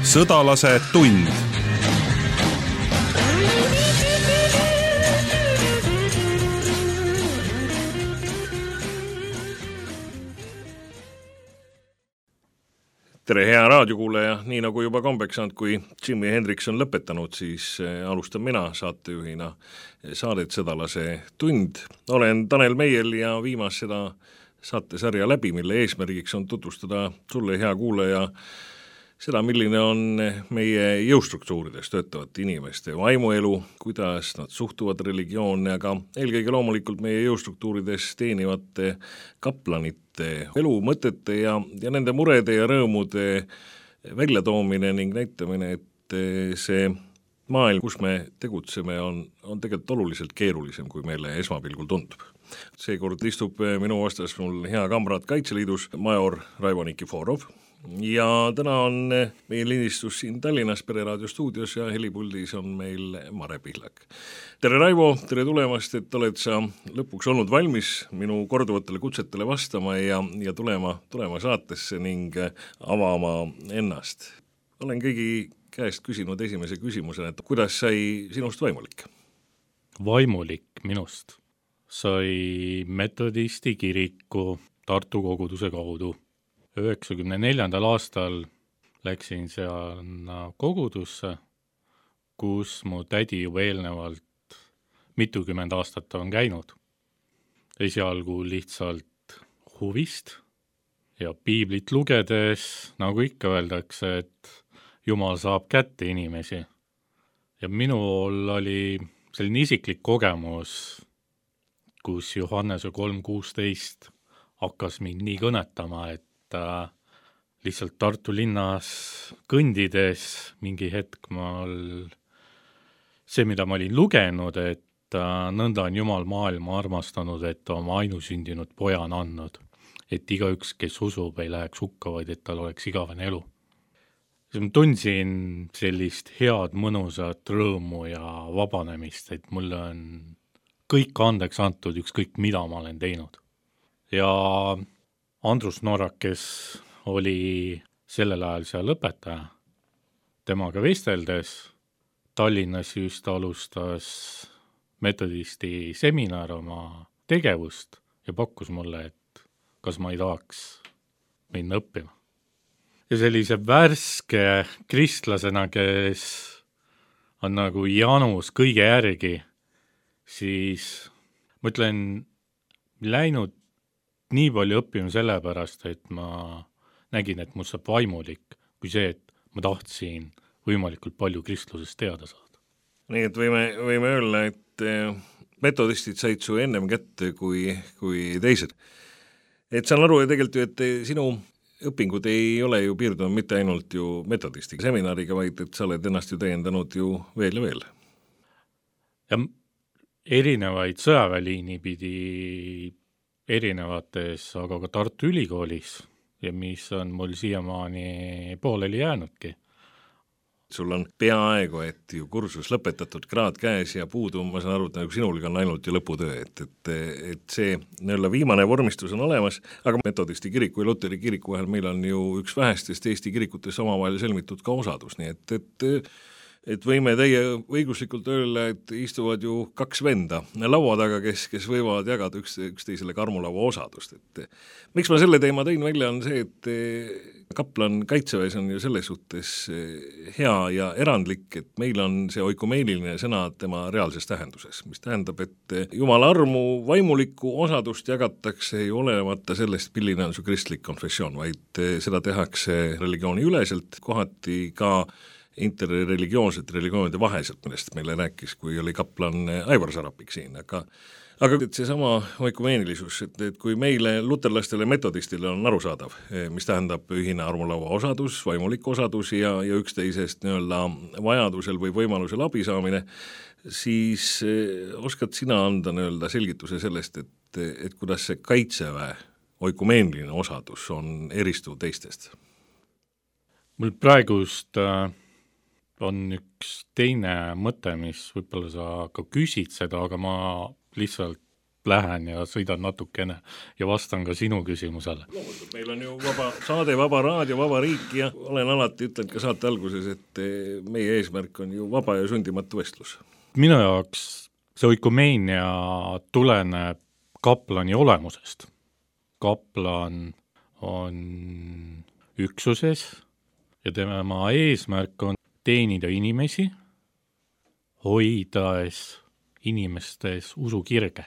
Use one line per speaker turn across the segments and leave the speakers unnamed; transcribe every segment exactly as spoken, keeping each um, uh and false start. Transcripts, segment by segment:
Sõdalase tund. Tere, hea raadiokuulaja, nii nagu juba kombeks saanud, kui Jimi Hendrix on lõpetanud, siis alustan mina saatejuhina saadet Sõdalase tund. Olen Tanel Meiel ja viimas seda saatesarja läbi, mille eesmärgiks on tutvustada sulle, hea kuulaja, seda, milline on meie jõustruktuurides töötavate inimeste vaimuelu, kuidas nad suhtuvad religioone, aga eelkõige loomulikult meie jõustruktuurides teenivate kaplanite elu, mõtete ja, ja nende murede ja rõõmude väljatoomine ning näitamine, et see maailm, kus me tegutseme, on, on tegelikult oluliselt keerulisem, kui meile esmapilgul tundub. Seekord istub minu vastas mul hea kamrad Kaitseliidus, major Raivo Nikiforov, ja täna on meie lindistus siin Tallinnas Pereraadio stuudios ja helipuldis on meil Mare Pihlak. Tere Raivo, tere tulemast, et oled sa lõpuks olnud valmis minu korduvatele kutsetele vastama ja, ja tulema, tulema saatesse ning avama ennast. Olen kõigi käest küsinud esimese küsimusena, et kuidas sai sinust vaimulik?
Vaimulik minust sai metodisti kiriku Tartu koguduse kaudu. üheksakümne neljandal aastal läksin seal kogudusse, kus mu tädi juba eelnevalt mitukümmend aastat on käinud. Esialgu lihtsalt huvist ja piiblit lugedes, nagu ikka öeldakse, et Jumal saab kätte inimesi. Ja minul oli selline isiklik kogemus, kus Johannese kolm kuusteist hakkas mind nii kõnetama, et lihtsalt Tartu linnas kõndides mingi hetk mal see, mida ma olin lugenud, et nõnda on Jumal maailma armastanud, et oma ainusündinud poja on andnud, et igaüks, kes usub, ei läheks hukka, vaid et tal oleks igavene elu. Siis ma tundsin sellist head, mõnusat rõõmu ja vabanemist, et mulle on kõik andeks antud, ükskõik mida ma olen teinud. Ja Andrus Noorak, kes oli sellel ajal seal õpetaja, temaga vesteldes Tallinnas just alustas metodisti seminar oma tegevust ja pakkus mulle, et kas ma ei tahaks minna õppima. Ja sellise värske kristlasena, kes on nagu janus kõige järgi, siis ma ütlen, läinud nii palju õppima sellepärast, et ma nägin, et mul saab vaimulik, kui see, et ma tahtsin võimalikult palju kristlusest teada saada.
Nii et võime, võime öelda, et metodistid said su ennem kätte kui, kui teised. Et saan aru ja tegelikult ju, et sinu õpingud ei ole ju piirdunud mitte ainult ju metodisti seminariga, vaid et sa oled ennast ju täiendanud ju veel ja veel.
Ja erinevaid sõjaväeliini pidi erinevates, aga ka Tartu Ülikoolis ja mis on mul siiamaani pooleli jäänudki.
Sul on peaaegu, et ju kursus lõpetatud, kraad käes ja puudu, ma saan aru, et nagu sinulgi on ainult ju lõputöö, et, et, et see nõlla viimane vormistus on olemas, aga metodisti kiriku ja Luteri kiriku vahel meil on ju üks vähestest Eesti kirikutes omavahel sõlmitud ka osadus, nii et, et et võime teie õiguslikult öelda, et istuvad ju kaks venda laua taga, kes, kes võivad jagada üks, üksteisele karmulaua osadust. Et miks ma selle teema tõin välja on see, et kaplan Kaitseväes on ju selles suhtes hea ja erandlik, et meil on see oikumeeniline sõna tema reaalses tähenduses, mis tähendab, et Jumala armu vaimulikku osadust jagatakse ei olemata sellest, milline on su kristlik konfessioon, vaid seda tehakse religiooni üleselt, kohati ka interreligioonset religioonide vaheselt, millest meile rääkis, kui oli kaplan Aivar Sarapik siin, aga aga see sama oikumeenilisus, et, et kui meile luterlastele metodistile on arusaadav, mis tähendab ühine armulaua osadus, vaimulik osadus ja, ja üksteisest nii-öelda vajadusel või võimalusel abi saamine, siis oskad sina anda nii-öelda selgituse sellest, et, et kuidas see Kaitseväe oikumeeniline osadus on eristuv teistest?
Mul praegust äh... on üks teine mõte, mis võib-olla sa ka küsid seda, aga ma lihtsalt lähen ja sõidan natukene ja vastan ka sinu küsimusele.
Loomulikult, meil on ju vaba saade, vaba raadio, vaba riik ja olen alati ütlenud ka saate alguses, et meie eesmärk on ju vaba ja sundimatu vestlus.
Minu jaoks see oikomeenia tuleneb kaplani olemusest. Kaplan on üksuses ja tema eesmärk on teenida inimesi, hoides inimestes usukirge.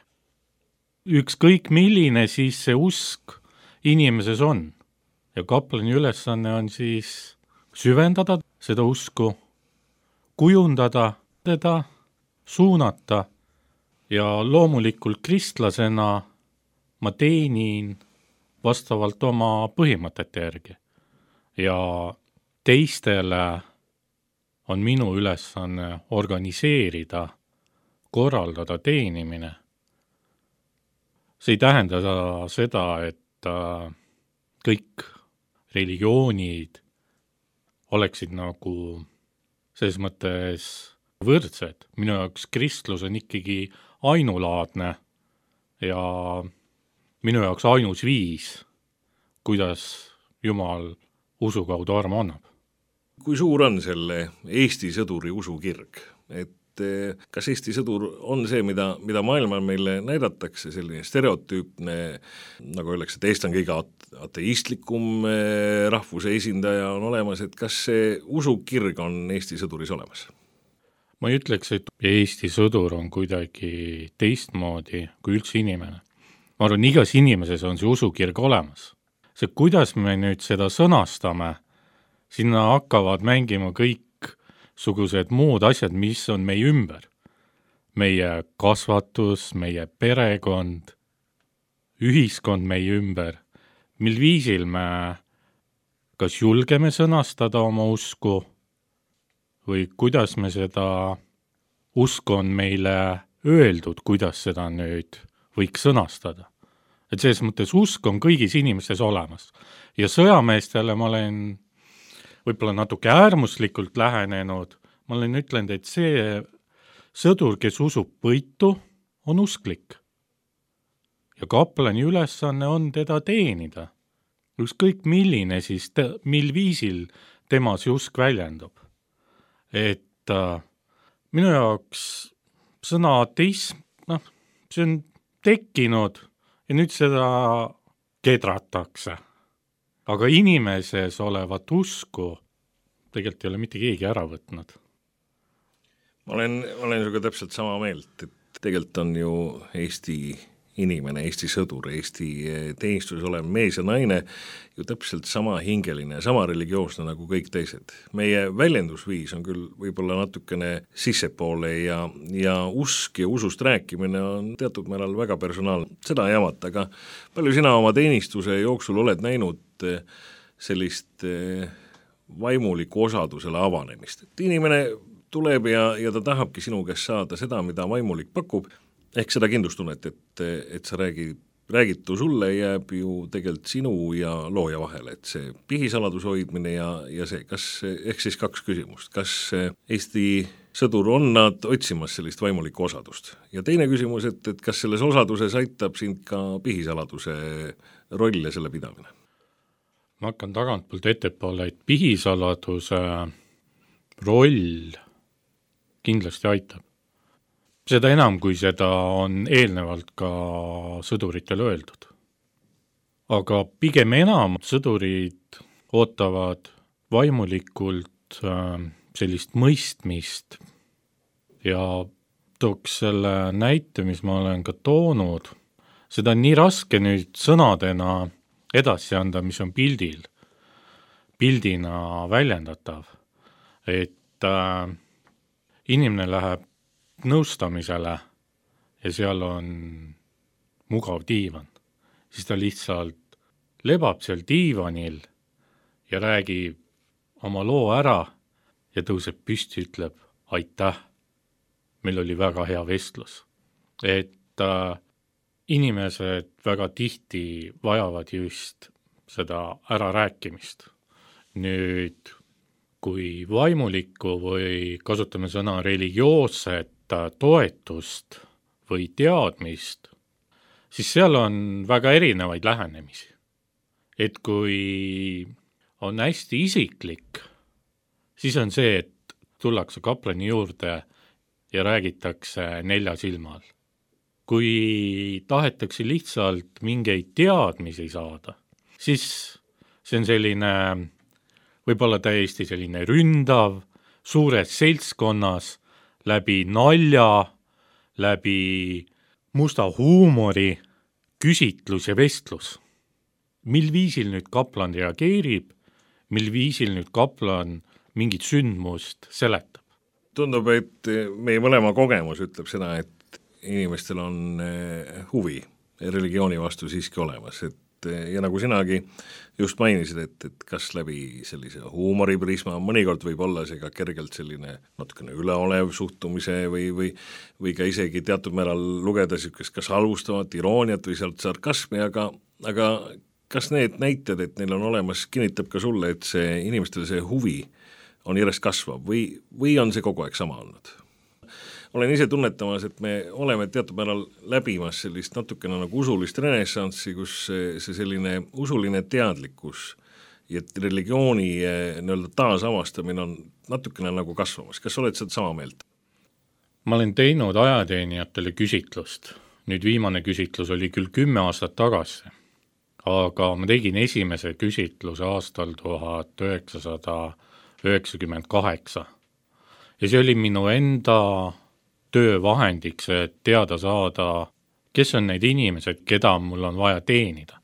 Ükskõik milline siis see usk inimeses on ja kaplani ülesanne on siis süvendada seda usku, kujundada teda, suunata ja loomulikult kristlasena ma teenin vastavalt oma põhimõtete järgi ja teistele on minu ülesanne organiseerida, korraldada teenimine. See ei tähenda seda, et kõik religioonid oleksid nagu selles mõttes võrdsed. Minu jaoks kristlus on ikkagi ainulaadne ja minu jaoks ainus viis, kuidas Jumal usu kaudu armu annab.
Kui suur on selle Eesti sõduri usukirg? Et kas Eesti sõdur on see, mida, mida maailmal meile näidatakse, selline stereotüüpne, nagu öeldakse, et Eesti on kõige ateistlikum rahvuse esindaja on olemas, et kas see usukirg on Eesti sõduris olemas?
Ma ei ütleks, et Eesti sõdur on kuidagi teistmoodi kui üldse inimene. Ma arvan, igas inimeses on see usukirg olemas. See, kuidas me nüüd seda sõnastame, sinna hakkavad mängima kõik sugused muud asjad, mis on meie ümber. Meie kasvatus, meie perekond, ühiskond meie ümber. Mil viisil me kas julgeme sõnastada oma usku või kuidas me seda usku on meile öeldud, kuidas seda nüüd võiks sõnastada. Et selles mõttes usk on kõigis inimestes olemas. Ja sõjameestele ma olen võib-olla natuke äärmuslikult lähenenud, ma olen ütlenud, et see sõdur, kes usub võitu, on usklik. Ja kaplani ülesanne on teda teenida. Ükskõik milline siis, te, mil viisil tema see usk väljendub. Et äh, minu jaoks sõna ateism, noh, see on tekkinud ja nüüd seda kedratakse. Aga inimeses olevat usku tegelikult ei ole mitte keegi ära võtnud.
Ma olen, olen sinuga täpselt sama meelt, et tegelikult on ju Eesti inimene, Eesti sõdur, Eesti teenistuses olev mees ja naine ju täpselt sama hingeline, sama religioosne nagu kõik teised. Meie väljendusviis on küll võib-olla natukene sissepoole ja, ja usk ja usust rääkimine on teatud määral väga personaalne. Seda ei jamata, aga palju sina oma teenistuse jooksul oled näinud sellist vaimuliku osadusele avanemist. Et inimene tuleb ja, ja ta tahabki sinu käest saada seda, mida vaimulik pakub, ehk seda kindlustunnet, et, et sa räägid, räägitu sulle jääb ju tegelikult sinu ja looja vahele, et see pihisaladuse hoidmine ja, ja see, kas, ehk siis kaks küsimust, kas Eesti sõdur on nad otsimas sellist vaimulikku osadust? Ja teine küsimus, et, et kas selles osaduses aitab sind ka pihisaladuse roll ja selle pidamine?
Ma hakkan tagantpoolt ettepoole, et pihisaladuse roll kindlasti aitab. Seda enam, kui seda on eelnevalt ka sõduritel öeldud. Aga pigem enam sõdurid ootavad vaimulikult sellist mõistmist ja tooks selle näite, mis ma olen ka toonud. Seda on nii raske nüüd sõnadena edasi anda, mis on pildil, pildina väljendatav, et äh, inimene läheb nõustamisele ja seal on mugav diivan, siis ta lihtsalt lebab seal diivanil ja räägib oma loo ära ja tõuseb püsti, ütleb aitäh, meil oli väga hea vestlus. Et äh, inimesed väga tihti vajavad just seda ärarääkimist. Nüüd, kui vaimulikku või kasutame sõna religioosset toetust või teadmist, siis seal on väga erinevaid lähenemisi. Et kui on hästi isiklik, siis on see, et tullakse kaplani juurde ja räägitakse nelja silma all. Kui tahetakse lihtsalt mingeid teadmisi saada, siis see on selline, võib-olla täiesti selline ründav, suures seltskonnas, läbi nalja, läbi musta huumori, küsitlus ja vestlus. Mil viisil nüüd kaplan reageerib, mil viisil nüüd kaplan mingit sündmust seletab?
Tundub, et meie mõlema kogemus ütleb seda, et inimestel on huvi religiooni vastu siiski olemas, et ja nagu sinagi just mainisid, et, et kas läbi sellise huumoriprisma, mõnikord võib olla see ka kergelt selline natukene üleolev suhtumise või, või, või ka isegi teatud määral lugeda niisugust kas halvustavat irooniat või sealt sarkasmi, aga, aga kas need näited, et neil on olemas, kinnitab ka sulle, et see inimestel see huvi on järjest kasvav või, või on see kogu aeg sama olnud? Olen ise tunnetamas, et me oleme teatud määral läbimas sellist natukene nagu usulist renessanssi, kus see, see selline usuline teadlikkus ja religiooni nii-öelda taasavastamine on natukene nagu kasvamas. Kas oled seda sama meelt?
Ma olen teinud ajateenijatele küsitlust. Nüüd viimane küsitlus oli küll kümme aastat tagasi, aga ma tegin esimese küsitluse aastal tuhat üheksasada üheksakümmend kaheksa. Ja see oli minu enda töövahendiks, et teada saada, kes on need inimesed, keda mul on vaja teenida.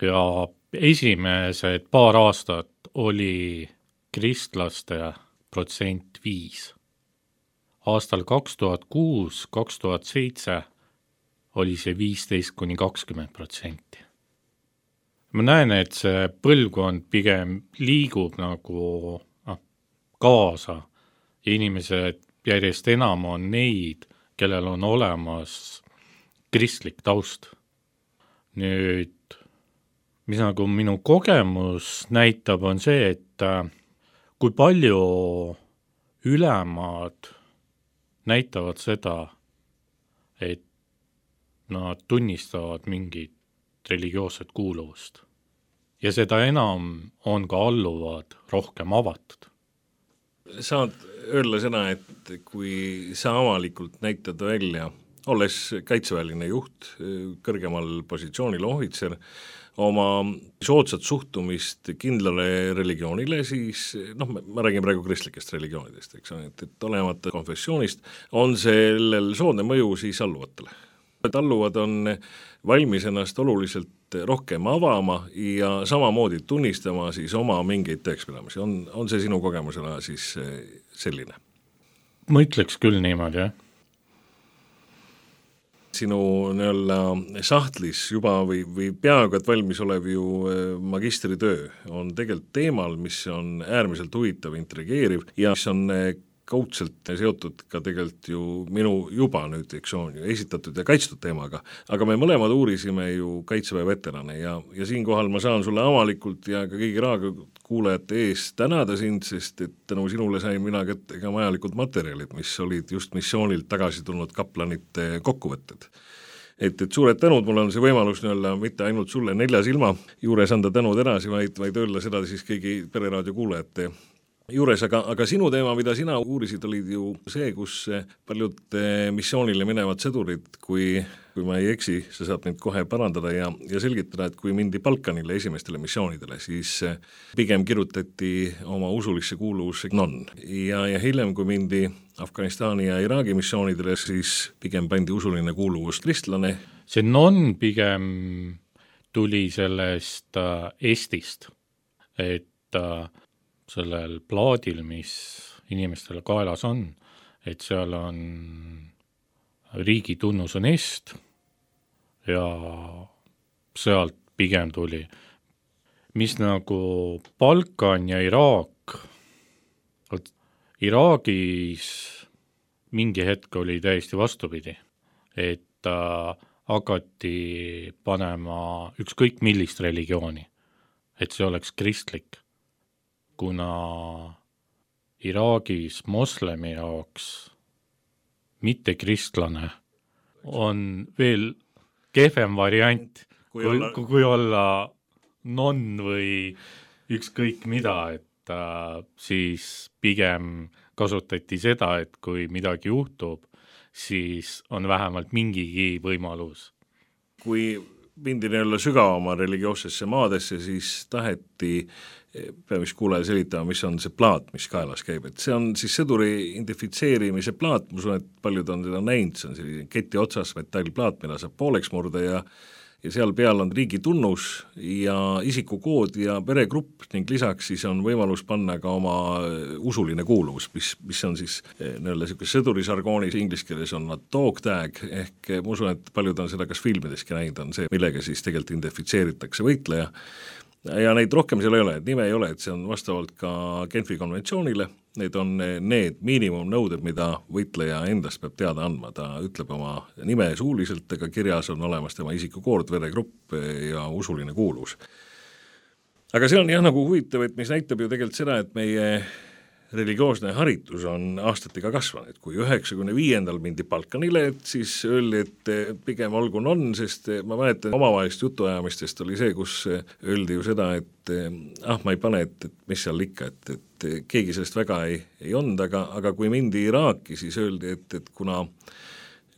Ja esimesed paar aastat oli kristlaste protsent viis. Aastal kaks tuhat kuus, kaks tuhat seitse oli see viisteist kuni kakskümmend protsenti. Ma näen, et see põlvkond pigem liigub nagu ah, kaasa ja inimesed järjest enam on neid, kellel on olemas kristlik taust. Nüüd, mis nagu minu kogemus näitab, on see, et kui palju ülemad näitavad seda, et nad tunnistavad mingit religioosset kuuluvust. Ja seda enam on ka alluvad rohkem avatud.
Saad öelda seda, et kui sa avalikult näitad välja, olles kaitseväeline juht, kõrgemal positsioonil ohvitser, oma soodsat suhtumist kindlale religioonile, siis noh, ma räägin praegu kristlikest religioonidest, eks, et, et olemata konfessioonist, on sellel soodne mõju siis alluvatele. Et alluvad on valmis ennast oluliselt rohkem avama ja samamoodi tunnistama siis oma mingeid tõekspidamisi. On, on see sinu kogemusena siis selline?
Ma ütleks küll niimoodi, jah.
Sinu nii-olla sahtlis juba või, või peaaegu et valmis olev ju magistritöö on tegelikult teemal, mis on äärmiselt huvitav, intrigeeriv ja mis on kaudselt seotud ka tegelikult ju minu juba nüüd, eks on ju esitatud ja kaitstud teemaga, aga me mõlemad uurisime ju kaitseväe veterane ja, ja siinkohal ma saan sulle avalikult ja ka kõigi raadiokuulajate ees tänada sind, sest et tänu sinule sain mina kätte ka vajalikud materjalid, mis olid just missioonilt tagasi tulnud kaplanite kokkuvõtted. Et, et suured tänud, mul on see võimalus nii-olla mitte ainult sulle nelja silma juures anda tänud edasi, vaid, vaid öelda seda siis kõigi Pereraadio kuulajate juures, aga, aga sinu teema, mida sina uurisid, olid ju see, kus paljud missioonile minevad sõdurid, kui, kui ma ei eksi, sa saad mind kohe parandada ja, ja selgitada, et kui mindi Balkanile esimestele missioonidele, siis pigem kirjutati oma usulisse kuuluvusse non. Ja, ja hiljem, kui mindi Afganistani ja Iraagi missioonidele, siis pigem pandi usuline kuuluvus kristlane.
See non pigem tuli sellest äh, Eestist, et äh, sellel plaadil, mis inimestele kaelas on, et seal on riigi tunnus on Est ja sealt pigem tuli. Mis nagu Balkan ja Iraak, Iraagis mingi hetk oli täiesti vastupidi, et äh, hakati panema ükskõik millist religiooni, et see oleks kristlik. Kuna Iraagis moslemi jaoks mitte kristlane on veel kehvem variant, kui, kui,
olla...
kui olla non või ükskõik mida, et äh, siis pigem kasutati seda, et kui midagi juhtub, siis on vähemalt mingigi võimalus.
Kui mindi nii-öelda sügavama religioossesse maadesse, siis taheti peab vist kuulaja selitama, mis on see plaat, mis kaelas käib, et see on siis sõduri identifitseerimise plaat, ma usun, et paljud on seda näinud, see on selline keti otsas metallplaat, mida saab pooleks murda ja ja seal peal on riigi tunnus ja isikukood ja peregrupp ning lisaks siis on võimalus panna ka oma usuline kuuluvus, mis, mis on siis nii-öelda niisugune sõdurisargoonis, inglise keeles on nad dog tag, ehk ma usun, et paljud on seda kas filmideski näinud, on see, millega siis tegelikult identifitseeritakse võitleja. Ja neid rohkem seal ei ole, et nime ei ole, et see on vastavalt ka Genfi konventsioonile, need on need miinimumnõuded, mida võitleja endast peab teada andma, ta ütleb oma nime suuliselt, ega kirjas on olemas tema isikukoord, veregrupp ja usuline kuuluvus. Aga see on jah nagu huvitav, et mis näitab ju tegelikult seda, et meie religioosne haritus on aastatega kasvanud, kui üheksakümne viiendal mindi Balkanile, et siis öeldi, et pigem olgu on, sest ma mäletan omavahelist jutuajamistest oli see, kus öeldi ju seda, et ah, ma ei pane, et, et mis seal ikka, et, et keegi sellest väga ei, ei olnud, aga, aga kui mindi Iraaki, siis öeldi, et, et kuna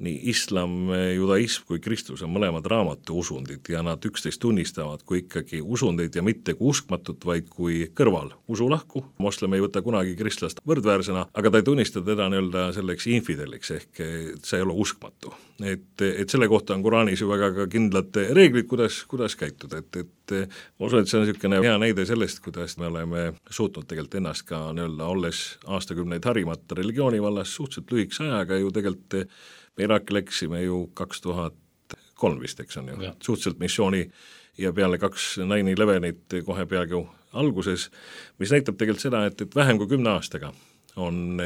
nii islam, judaism kui kristlus on mõlemad raamatu usundid ja nad üksteist tunnistavad kui ikkagi usundeid ja mitte kui uskmatut, vaid kui kõrval usulahku. Moslem ei võta kunagi kristlast võrdväärsena, aga ta ei tunnista teda nii-öelda selleks infideliks ehk see ei ole uskmatu. Et, et selle kohta on Quraanis ju väga ka kindlad reeglid, kuidas, kuidas käituda, et, et ma usun, et see on niisugune hea näide sellest, kuidas me oleme suutnud tegelikult ennast ka nii-öelda olles aastakümneid harimata religiooni vallas suhteliselt lühikese ajaga ju tegelikult me Iraaki läksime ju kaks tuhat kolm vist, eks on ju, ja. Suhteliselt missiooni ja peale kaks nine elevenit kohe peagi alguses, mis näitab tegelikult seda, et, et vähem kui kümne aastaga on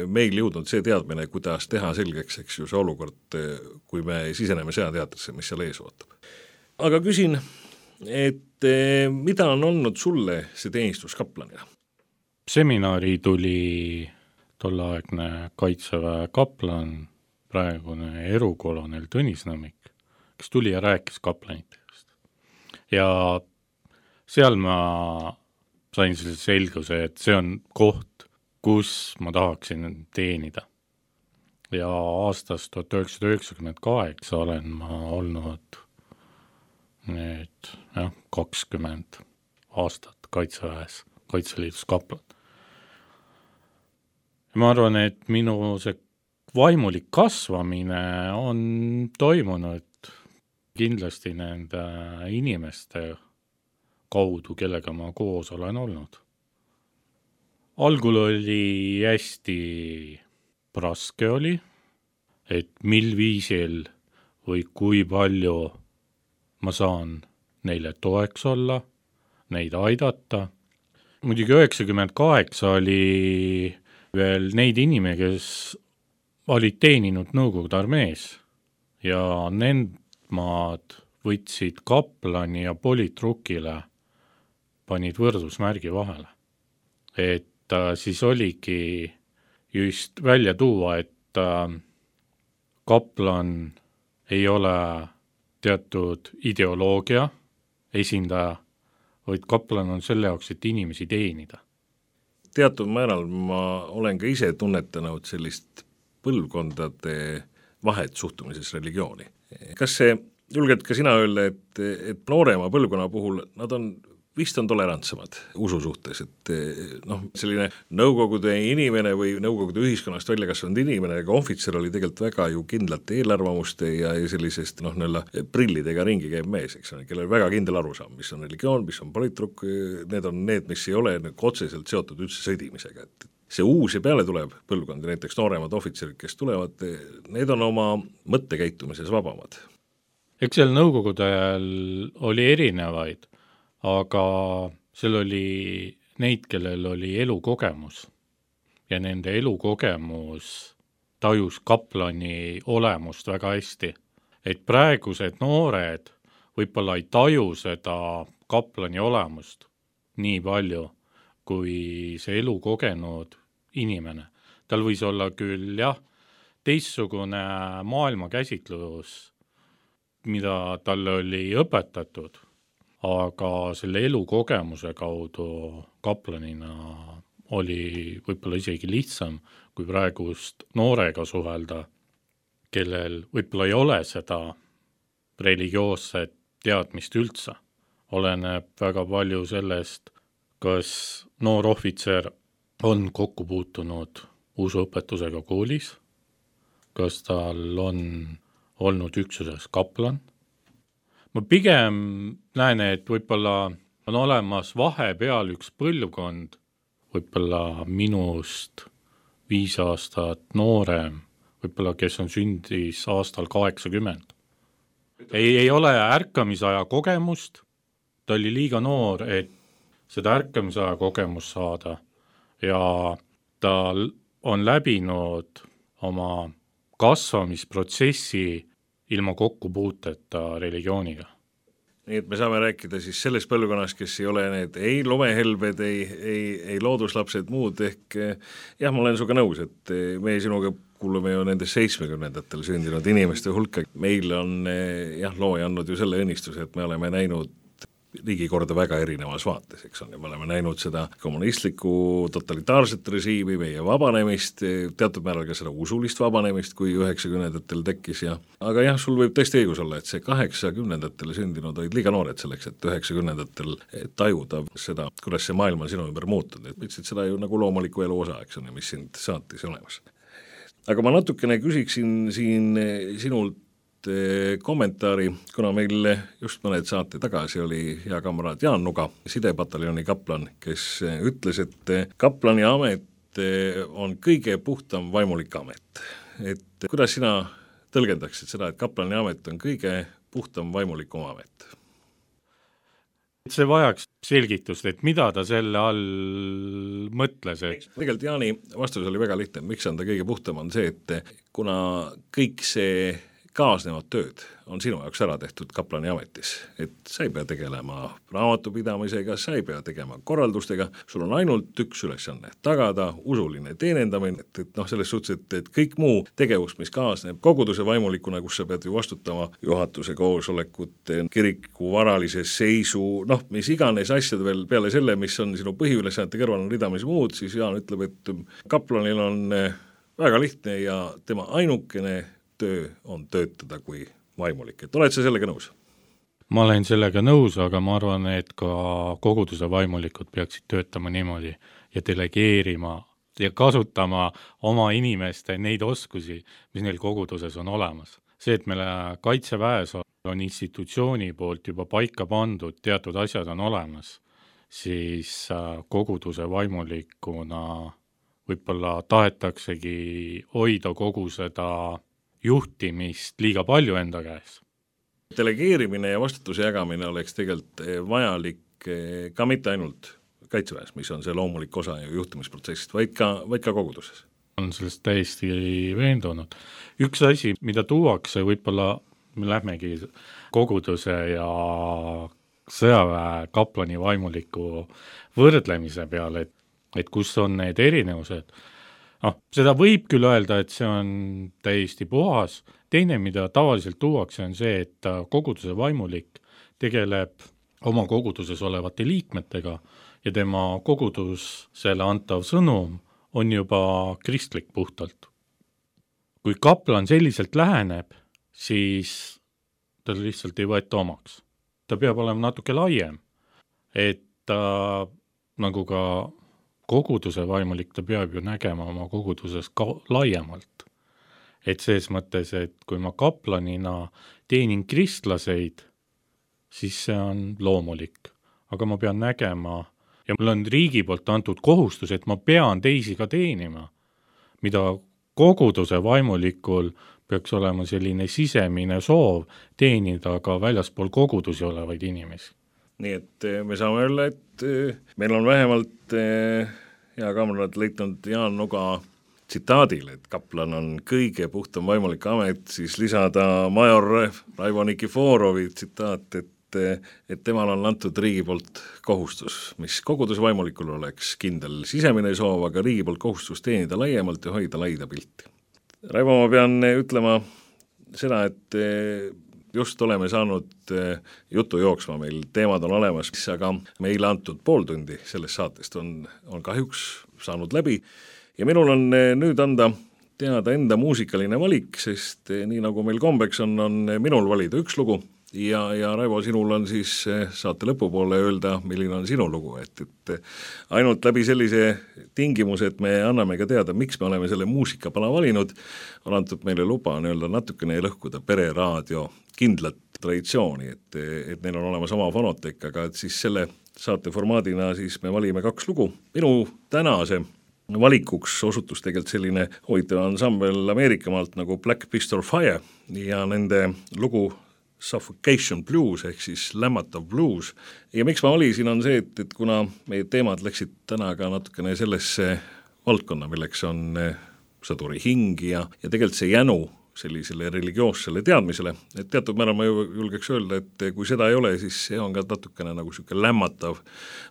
meil jõudnud see teadmine, kuidas teha selgeks, eks ju, see olukord, kui me siseneme sõjateatrisse, mis seal ees ootab. Aga küsin, et mida on olnud sulle see teenistus kaplanina?
Seminari tuli tolleaegne Kaitseväe kaplan, praegune erukolonel Tõnis Nõmmik, kes tuli ja rääkis kaplanitest. Ja seal ma sain selle selguse, et see on koht, kus ma tahaksin teenida. Ja aastast tuhat üheksasada üheksakümmend kaheksa olen ma olnud nüüd jah, kakskümmend aastat Kaitseväes, Kaitseliidus kaplan. Ja ma arvan, et minu see vaimulik kasvamine on toimunud kindlasti nende inimeste kaudu, kellega ma koos olen olnud. Algul oli hästi raske oli, et mil viisil või kui palju ma saan neile toeks olla, neid aidata. Muidugi üheksakümmend kaheksa oli veel neid inimesi, kes olid teeninud Nõukogude armees ja nendmaad võtsid kaplani ja politrukile, panid võrdusmärgi vahele. Et äh, siis oligi just välja tuua, et äh, kaplan ei ole teatud ideoloogia esindaja, vaid kaplan on selle jaoks, et inimesi teenida.
Teatud määral ma olen ka ise tunnetanud sellist põlvkondade vahet suhtumises religiooni. Kas see, julged ka sina öelda, et, et noorema põlvkonna puhul nad on, vist on tolerantsemad usu suhtes, et noh, selline nõukogude inimene või nõukogude ühiskonnast välja kasvanud inimene, aga ohvitser oli tegelikult väga ju kindlate eelarvamuste ja, ja sellisest noh, nõlla prillidega ringi käib mees, eks on, kellel väga kindel arusaam, mis on religioon, mis on politruk, need on need, mis ei ole otseselt seotud üldse sõdimisega, et see uus ja peale tuleb põlvkond, näiteks nooremad ohvitserid, kes tulevad, need on oma mõttekäitumises vabamad.
Eks seal nõukogude ajal oli erinevaid, aga seal oli neid, kellel oli elukogemus ja nende elukogemus tajus kaplani olemust väga hästi. Et praegused noored võib-olla ei taju seda kaplani olemust nii palju, kui see elu kogenud inimene. Tal võis olla küll jah, teistsugune maailmakäsitlus, mida talle oli õpetatud, aga selle elukogemuse kaudu kaplanina oli võib-olla isegi lihtsam, kui praegust noorega suhelda, kellel võib-olla ei ole seda religioosset teadmist üldse. Oleneb väga palju sellest, kas noor ohvitser on kokku puutunud usuõpetusega koolis, kas tal on olnud üksuses kaplan. Ma pigem näen, et võib-olla on olemas vahepeal üks põlvkond, võib-olla minust viis aastat noorem, võib-olla kes on sündis aastal kaheksakümmend. Ei, ei ole ärkamisaja kogemust, ta oli liiga noor, et seda ärkamisaja kogemust saada ja ta on läbinud oma kasvamisprotsessi ilma kokkupuuteta religiooniga.
Nii et me saame rääkida siis selles põlvkonnas, kes ei ole need ei lomehelbed, ei, ei, ei looduslapsed muud, ehk jah, ma olen suga nõus, et me sinuga kuulume ju nendes seitsmekümnendatel sündinud inimeste hulka. Meil on jah, looja andnud ju selle õnnistuse, et me oleme näinud riigikorda väga erinevas vaates, eks on, ja me oleme näinud seda kommunistlikku totalitaarset režiimi, meie vabanemist, teatud määral ka seda usulist vabanemist, kui üheksakümnendatel tekkis ja aga jah, sul võib tõesti õigus olla, et see kaheksakümnendatel sündinud olid liiga noored selleks, et üheksakümnendatel tajuda seda, kuidas see maailm on sinu ümber muutunud, et võtsid seda ju nagu loomuliku elu osa, eks on, mis sind saatis olemas. Aga ma natukene küsiksin siin sinult kommentaari, kuna meil just mõned saate tagasi oli hea kamraad Jaan Nuga, sidepataljoni kaplan, kes ütles, et kaplani amet on kõige puhtam vaimulik amet. Et kuidas sina tõlgendaksid seda, et kaplani amet on kõige puhtam vaimulikum amet?
See vajaks selgitust, et mida ta selle all mõtles. Et...
Tegelikult Jaani vastus oli väga lihtne, miks on ta kõige puhtam, on see, et kuna kõik see kaasnevad tööd on sinu jaoks ära tehtud kaplani ametis, et sa ei pea tegelema raamatupidamisega, sa ei pea tegema korraldustega, sul on ainult üks ülesanne, tagada usuline teenendamine, et, et noh, selles suhtes, et, et kõik muu tegevus, mis kaasneb koguduse vaimulikuna, kus sa pead ju vastutama juhatuse koosolekute, kiriku varalise seisu, noh, mis iganes asjad veel peale selle, mis on sinu põhiülesannete kõrval on ridamis muud, siis Jaan ütleb, et kaplanil on väga lihtne ja tema ainukene töö on töötada kui vaimulik, et oled sa sellega nõus?
Ma olen sellega nõus, aga ma arvan, et ka koguduse vaimulikud peaksid töötama niimoodi ja delegeerima ja kasutama oma inimeste neid oskusi, mis neil koguduses on olemas. See, et meile kaitseväes on institutsiooni poolt juba paika pandud, teatud asjad on olemas, siis koguduse vaimulikuna võib-olla tahetaksegi hoida kogu seda juhtimist liiga palju enda käes.
Delegeerimine ja vastutuse jagamine oleks tegelikult vajalik ka mitte ainult kaitseväes, mis on see loomulik osa juhtimisprotsessist, vaid ka, vaid ka koguduses.
On sellest täiesti veendunud. Üks asi, mida tuuakse, võib-olla me lähmegi koguduse ja sõjaväe kaplani vaimuliku võrdlemise peale, et, et kus on need erinevused. No, seda võib küll öelda, et see on täiesti puhas. Teine, mida tavaliselt tuuakse, on see, et koguduse vaimulik tegeleb oma koguduses olevate liikmetega ja tema kogudusele antav sõnum on juba kristlik puhtalt. Kui kaplan selliselt läheneb, siis ta lihtsalt ei võeta omaks. Ta peab olema natuke laiem, et ta nagu ka koguduse vaimulik, ta peab ju nägema oma koguduses ka laiemalt. Et selles mõttes, et kui ma kaplanina teenin kristlaseid, siis see on loomulik. Aga ma pean nägema, ja mul on riigi poolt antud kohustus, et ma pean teisi ka teenima, mida koguduse vaimulikul peaks olema selline sisemine soov teenida ka väljaspool kogudusi olevaid inimesi.
Nii et me saame öelda, et meil on vähemalt hea kamrad leitnud Jaan Nuga tsitaadil, et kaplan on kõige puhtam vaimulik amet, siis lisada major Raivo Nikiforovi tsitaat, et, et temal on antud riigi poolt kohustus, mis koguduse vaimulikul oleks kindel sisemine soov, aga riigi poolt kohustus teenida laiemalt ja hoida laida pilti. Raivo, ma pean ütlema seda, et just oleme saanud jutu jooksma, meil teemad on olemas, aga meile antud pool tundi sellest saatest on, on kahjuks saanud läbi ja minul on nüüd anda teada enda muusikaline valik, sest nii nagu meil kombeks on, on minul valida üks lugu ja, ja Raivo, sinul on siis saate lõpupoole öelda, milline on sinu lugu, et, et ainult läbi sellise tingimuse, et me anname ka teada, miks me oleme selle muusikapala valinud, on antud meile luba nii-öelda natukene lõhkuda pereraadio kindlat traditsiooni, et, et neil on olemas oma fonotek, aga et siis selle saate formaadina siis me valime kaks lugu. Minu tänase valikuks osutus tegelikult selline huvitav ansambel Ameerikamaalt nagu Black Pistol Fire ja nende lugu Suffocation Blues ehk siis lämmatav blues. Ja miks ma valisin on see, et, et kuna meie teemad läksid täna ka natukene sellesse valdkonna, milleks on sõduri hing ja, ja tegelikult see jänu sellisele religioossele teadmisele, et teatud määral ma julgeks öelda, et kui seda ei ole, siis see on ka natukene nagu siuke lämmatav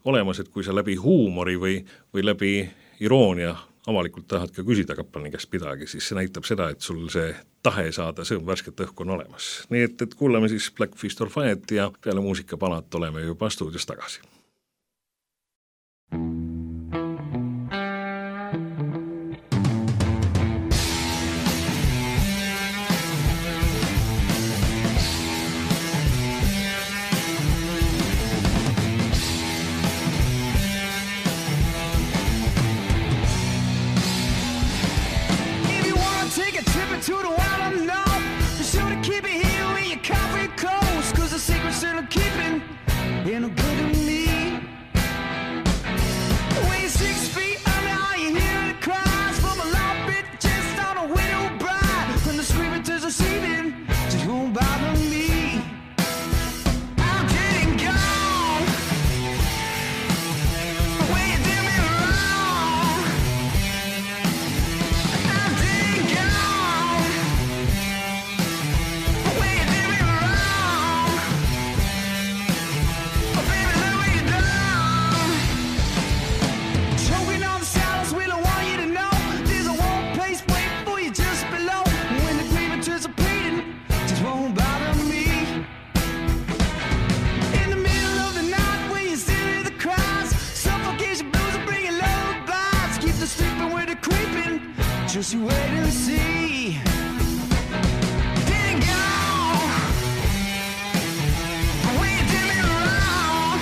olemas, et kui sa läbi huumori või, või läbi iroonia avalikult tahad ka küsida kaplani käest midagi, siis see näitab seda, et sul see tahe saada sõõm värsket õhku on olemas. Nii et, et kuulame siis Black Pistol Fire't ja peale muusikapalat oleme juba stuudios tagasi.
To the wild unknown, be sure to keep it here with your coffee close, cause the secrets that I'm keeping ain't no good to me. When you're six feet under, all you hear the cries from a loud bit just on a widow bride. From the screaming to the seething, just won't bother me. I'm getting gone when you did me wrong. I'm getting gone when you did me wrong. Oh baby, let me down. Choking on the silence, we don't want you to know. There's a warm place waiting for you just below. When the grievance is repeating, just won't bother me. In the middle of the night when you still hear the cries, suffocation blues are bringing lullabies. Keep the sleeping with the creeping, just you wait and see. Didn't go when you did me wrong.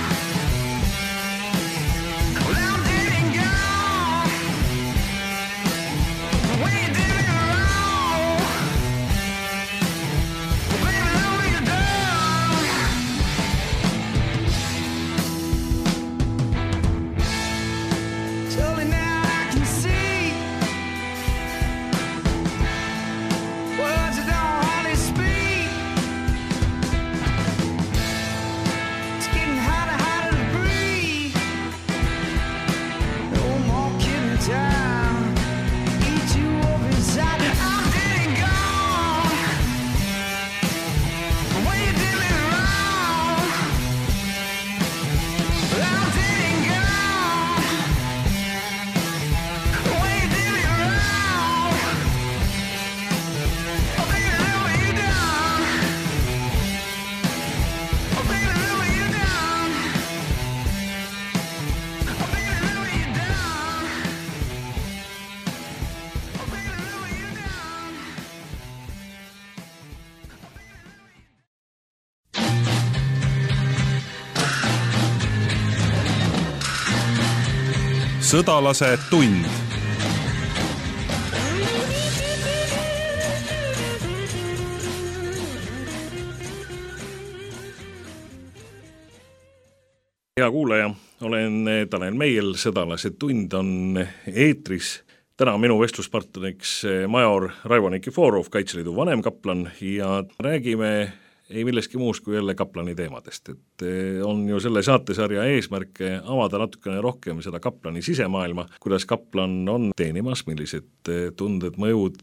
Well, I didn't go when you did me wrong. Well, baby, let me down. Slowly now I can see words that don't hardly speak. It's getting harder, harder to breathe. No more killing time. Eat you up inside. I'm dead and gone when you did me wrong. I'm dead and gone when you did me wrong. Oh baby, let me down. Oh baby, let me down. Oh baby, let me down. Oh baby, let me down.
Sõdalase tund.
Hea kuulaja, olen Tanel Meiel, Sõdalase tund on eetris. Täna minu vestluspartneriks major Raivo Nikiforov, Kaitseliidu vanemkaplan ja räägime ei milleski muus kui jälle kaplani teemadest, et on ju selle saatesarja eesmärk avada natukene rohkem seda kaplani sisemaailma, kuidas kaplan on teenimas, millised tunded, mõjud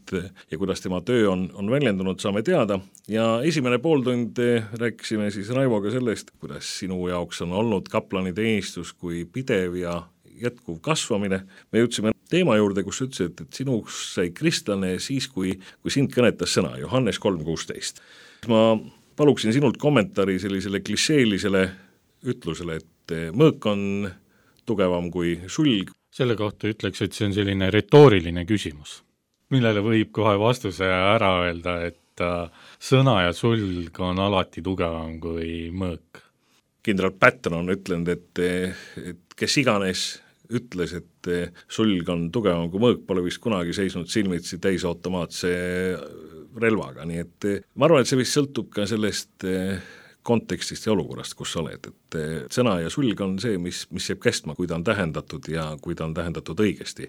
ja kuidas tema töö on, on väljendunud, saame teada. Ja esimene pooltund rääkisime siis Raivoga sellest, kuidas sinu jaoks on olnud kaplani teenistus kui pidev ja jätkuv kasvamine. Me jõudsime teema juurde, kus ütlesid, et sinuks sai kristlane siis, kui, kui sind kõnetas sõna Johannes kolm kuusteist. Ma paluksin sinult kommentaari sellisele klišeelisele ütlusele, et mõõk on tugevam kui sulg.
Selle kohta ütleks, et see on selline retooriline küsimus, millele võib kohe vastuse ära öelda, et sõna ja sulg on alati tugevam kui mõõk.
Kindral Patton on ütlenud, et, et kes iganes ütles, et sulg on tugevam kui mõõk, pole vist kunagi seisnud silmitsi täisautomaatse relvaga, nii et ma arvan, et see vist sõltub ka sellest kontekstist ja olukorrast, kus sa oled, et sõna ja sulg on see, mis, mis jääb kestma, kui ta on tähendatud ja kui ta on tähendatud õigesti.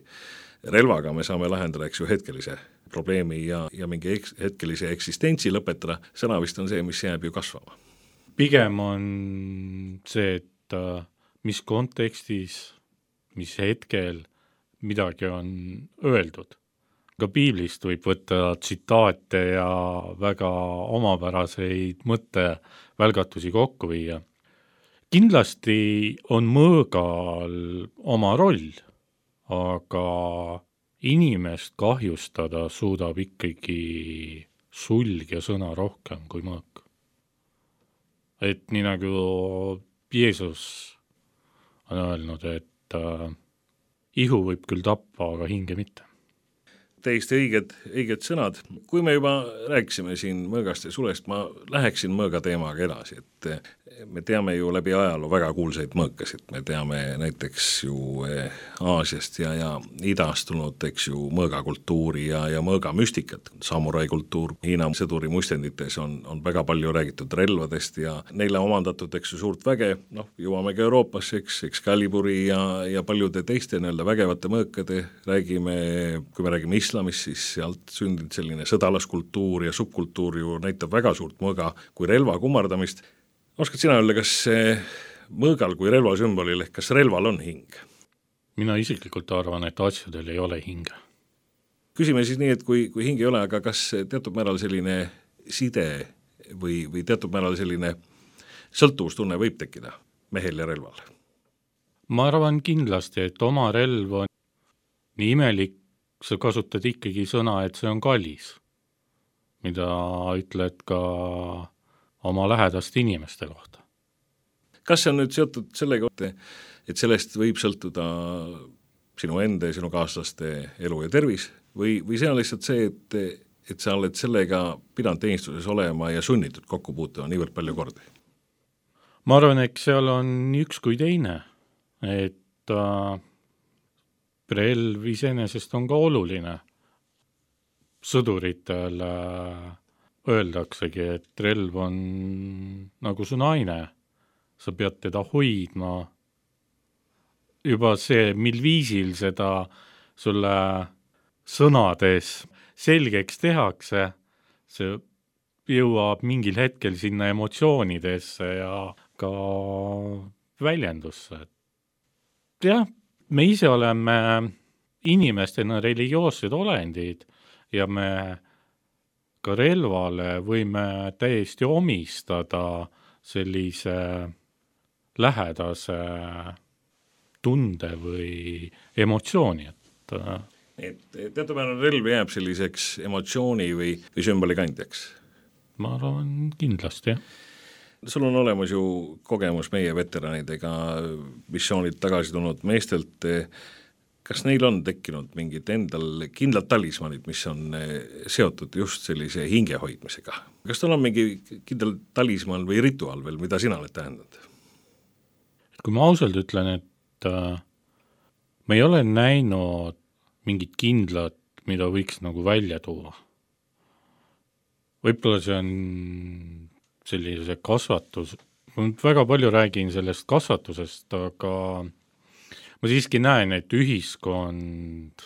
Relvaga me saame lahendada, eks ju, hetkelise probleemi ja, ja mingi eks, hetkelise eksistentsi lõpetada, sõna vist on see, mis jääb ju kasvama.
Pigem on see, et mis kontekstis, mis hetkel midagi on öeldud. Ka piiblist võib võtta tsitaate ja väga omapäraseid mõttevälgatusi kokku viia. Kindlasti on mõõgal oma roll, aga inimest kahjustada suudab ikkagi sulg ja sõna rohkem kui mõõk. Et nii nagu Jeesus on öelnud, et äh, ihu võib küll tappa, aga hinge mitte.
Täiesti õiged, õiged sõnad. Kui me juba rääkisime siin mõõgast ja sulest, ma läheksin mõõga teemaga edasi, et me teame ju läbi ajaloo väga kuulsaid mõõkasid, me teame näiteks ju Aasiast ja, ja idast tulnud, eks ju, mõõgakultuuri ja, ja mõõgamüstikat, samurai kultuur, Hiina sõduri muistendites on, on väga palju räägitud relvadest ja neile omandatud, eks ju, suurt väge, noh, jõuamegi Euroopasse, eks, Excaliburi ja, ja paljude teiste nii-öelda vägevate mõõkade räägime, kui me räägime islamis, siis sealt sündinud selline sõdalaskultuur ja subkultuur ju näitab väga suurt mõõga kui relva kummardamist. Oskad sina öelda, kas mõõgal kui relvasümbolil, ehk kas relval on hing?
Mina isiklikult arvan, et asjadel ei ole hinge.
Küsime siis nii, et kui, kui hing ei ole, aga kas teatud määral selline side või, või teatud määral selline sõltuvustunne võib tekkida mehel ja relval?
Ma arvan kindlasti, et oma relv on nii imelik, sa kasutad ikkagi sõna, et see on kallis, mida ütled ka oma lähedast inimeste kohta.
Kas see on nüüd seotud sellega, et sellest võib sõltuda sinu enda ja sinu kaaslaste elu ja tervis või, või see on lihtsalt see, et, et sa oled sellega pidanud teenistuses olema ja sunnitud kokku puutuma niivõrd palju kordi?
Ma arvan, et seal on üks kui teine, et äh, relv iseenesest on ka oluline. Sõduritele öeldaksegi, et relv on nagu su naine, sa pead teda hoidma. Juba see, mil viisil seda sulle sõnades selgeks tehakse, see jõuab mingil hetkel sinna emotsioonidesse ja ka väljendusse. Jah, me ise oleme inimestena religioossed olendid ja me ka relvale võime täiesti omistada sellise lähedase tunde või emotsiooni. Et,
et teatud määral relv jääb selliseks emotsiooni või, või sümboli kandjaks?
Ma arvan kindlasti, jah.
Sul on olemas ju kogemus meie veteranidega, missioonid tagasi tulnud meestelt. Kas neil on tekkinud mingid endal kindlad talismanid, mis on seotud just sellise hinge hoidmisega? Kas tal on mingi kindel talisman või rituaal veel, mida sina oled tähendanud?
Kui ma ausalt ütlen, et äh, me ei ole näinud mingit kindlat, mida võiks nagu välja tuua. Võib-olla see on sellise kasvatus, ma väga palju räägin sellest kasvatusest, aga ma siiski näen, et ühiskond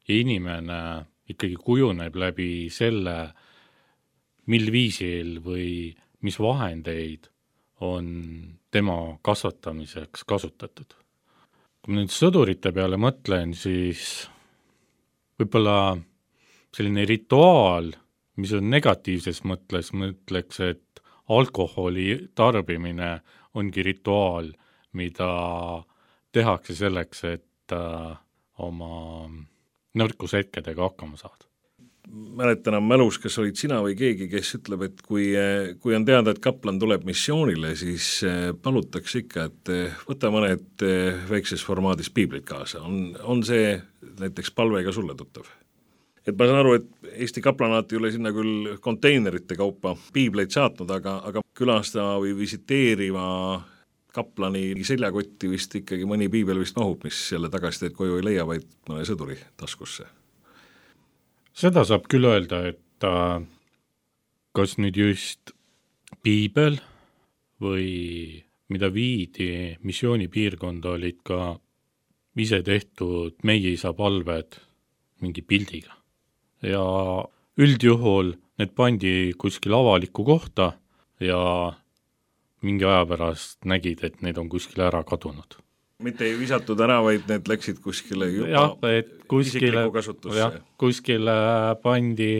ja inimene ikkagi kujuneb läbi selle, mil viisil või mis vahendeid on tema kasvatamiseks kasutatud. Kui ma nüüd sõdurite peale mõtlen, siis võib-olla selline rituaal, mis on negatiivses mõtles, mõtleks, et alkoholi tarbimine ongi rituaal, mida tehakse selleks, et äh, oma nõrkushetkedega hakkama saada.
mäletan enam mälus, kas olid sina või keegi, kes ütleb, et kui, kui on teada, et kaplan tuleb missioonile, siis palutakse ikka, et võta mõned väikses formaadis piiblid kaasa. On, on see näiteks palvega sulle tuttav? Et ma saan aru, et Eesti kaplanaat ei ole sinna küll konteinerite kaupa piibleid saatnud, aga, aga külastava või visiteeriva kaplani seljakotti vist ikkagi mõni piibel vist mahub, mis selle tagasiteed koju ei leia, vaid mõne sõduri taskusse.
Seda saab küll öelda, et äh, kas nüüd just piibel või mida viidi missioonipiirkonda olid ka ise tehtud meie isa palved mingi pildiga. Ja üldjuhul need pandi kuskil avalikku kohta ja mingi aja pärast nägid, et need on kuskile ära kadunud.
Mitte ei visatud ära, vaid need läksid kuskile juba
ja, et kuskile, ja, kuskile pandi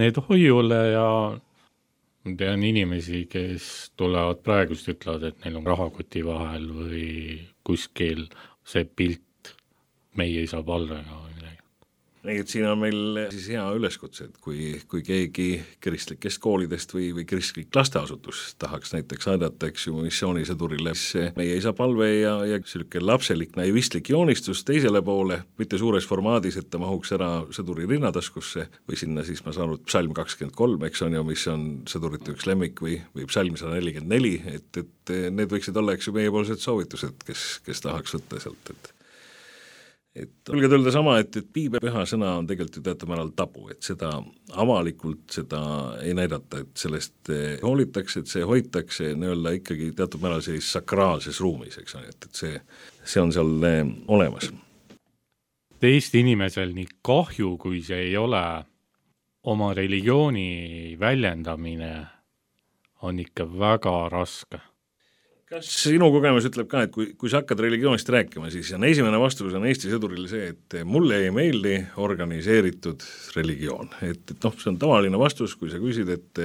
need hoiule ja tean inimesi, kes tulevad praegust ütlevad, et neil on rahakoti vahel või kuskil see pilt meie isa palvega või midagi.
Nii, et siin on meil siis hea üleskutse, et kui, kui keegi kristlikest koolidest või, või kristlik lasteasutus tahaks näiteks aidata, eks ju, missioonisõdurile, siis meie isa palve ja, ja selline lapselik naivistlik joonistus teisele poole, mitte suures formaadis, et ta mahuks ära sõduri rinnataskusse või sinna siis ma saan aru, psalm kakskümmend kolm, eks on ju, mis on sõdurite üks lemmik või, või psalm sada nelikümmend neli, et, et need võiksid olla, eks ju, meiepoolsed soovitused, kes, kes tahaks võtta sealt, et et olge öelda sama, et, et piibel püha sõna on tegelikult ju teatud määral tabu, et seda avalikult seda ei näidata, et sellest hoolitakse, et see hoitakse nii-öelda ikkagi teatud määral sellises sakraalses ruumis, eks on, et, et see, see on seal olemas.
Eesti inimesel nii kahju, kui see ei ole, oma religiooni väljendamine on ikka väga raske.
Kas sinu kogemus ütleb ka, et kui, kui sa hakkad religioonist rääkima, siis on esimene vastus on Eesti sõduril see, et mulle ei meeldi organiseeritud religioon. Et, et noh, see on tavaline vastus, kui sa küsid, et,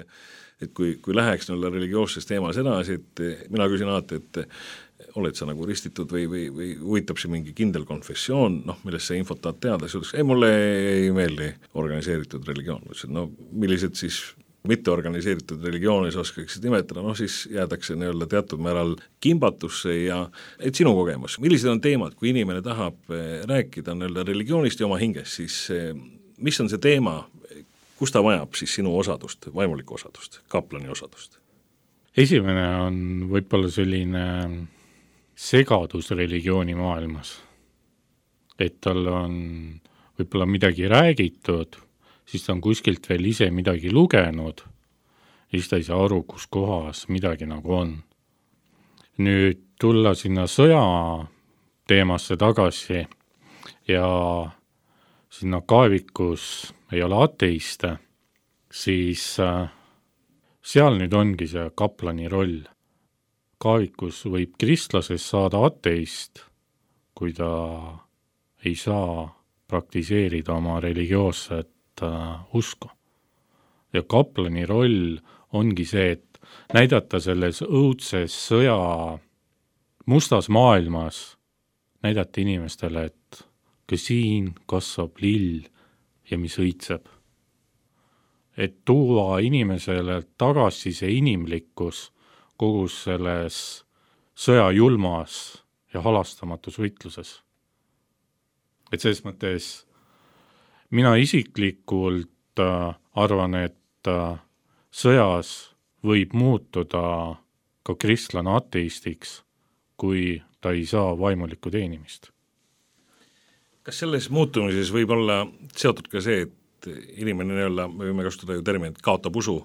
et kui, kui läheks nolle religioosses teemas edasi, et mina küsin alati, et oled sa nagu ristitud või, või, või huvitab see mingi kindel konfessioon, noh, millest sa infot tahad teada, siis ütleks, ei, mulle ei meeldi organiseeritud religioon. No millised siis mitte organiseeritud religioonis oskaksid nimetada, noh siis jäädakse nii-öelda teatud määral kimbatusse ja et sinu kogemus, millised on teemad, kui inimene tahab rääkida nii-öelda religioonist ja oma hingest, siis mis on see teema, kus ta vajab siis sinu osadust, vaimulikku osadust, kaplani osadust?
Esimene on võib-olla selline segadus religiooni maailmas, et tal on võib-olla midagi räägitud, siis ta on kuskilt veel ise midagi lugenud ja siis ta ei saa aru, kus kohas midagi nagu on. Nüüd tulla sinna sõja teemasse tagasi ja sinna kaevikus ei ole ateiste, siis seal nüüd ongi see kaplani roll. Kaevikus võib kristlasest saada ateist, kui ta ei saa praktiseerida oma religioosset usku. Ja kaplani roll ongi see, et näidata selles õudses sõja mustas maailmas, näidata inimestele, et ka siin kasvab lill ja mis õitseb. Et tuua inimesele tagasi see inimlikkus kogu selles sõja julmas ja halastamatus võitluses. Et selles mõttes mina isiklikult äh, arvan, et äh, sõjas võib muutuda ka kristlane ateistiks, kui ta ei saa vaimulikku teenimist.
Kas selles muutumises võib olla seotud ka see, et inimene nii-öelda, me võime kasutada ju terminit, kaotab usu,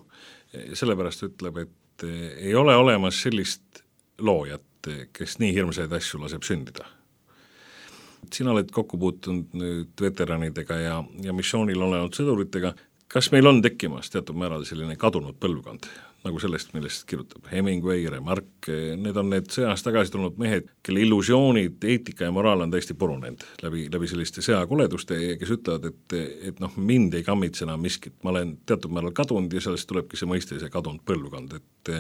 sellepärast ütleb, et ei ole olemas sellist loojat, kes nii hirmsaid asju laseb sündida? Sina oled kokku puutunud nüüd veteranidega ja, ja missioonil olenud sõduritega. Kas meil on tekkimas teatud määral selline kadunud põlvkond, nagu sellest, millest kirjutab Hemingway, Remarque, need on need sõjast tagasi tulnud mehed, kelle illusioonid, eetika ja moraal on täiesti purunenud läbi, läbi selliste sõjakoleduste, kes ütlevad, et, et noh, mind ei kammitse enam miskit, ma olen teatud määral kadunud ja sellest tulebki see mõiste, see kadunud põlvkond, et